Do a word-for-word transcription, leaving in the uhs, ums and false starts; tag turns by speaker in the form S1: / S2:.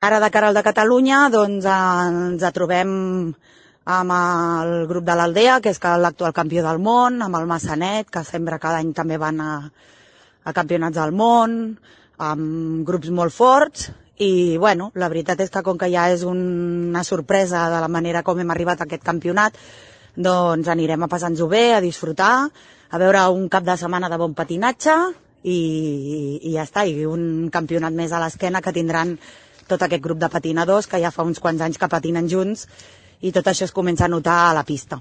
S1: Ara, de cara al de Catalunya, doncs ens trobem amb el grup de l'Aldea, que és l'actual campió del món, amb el Massanet, que sempre cada any també van a, a campionats del món, amb grups molt forts, i bueno, la veritat és que com que ja és una sorpresa de la manera com hem arribat a aquest campionat, doncs anirem a passar-nos-ho bé, a disfrutar, a veure un cap de setmana de bon patinatge, i, i ja està, i un campionat més a l'esquena que tindran tot aquest grup de patinadors que ja fa uns quants anys que patinen junts i tot això es comença a notar a la pista.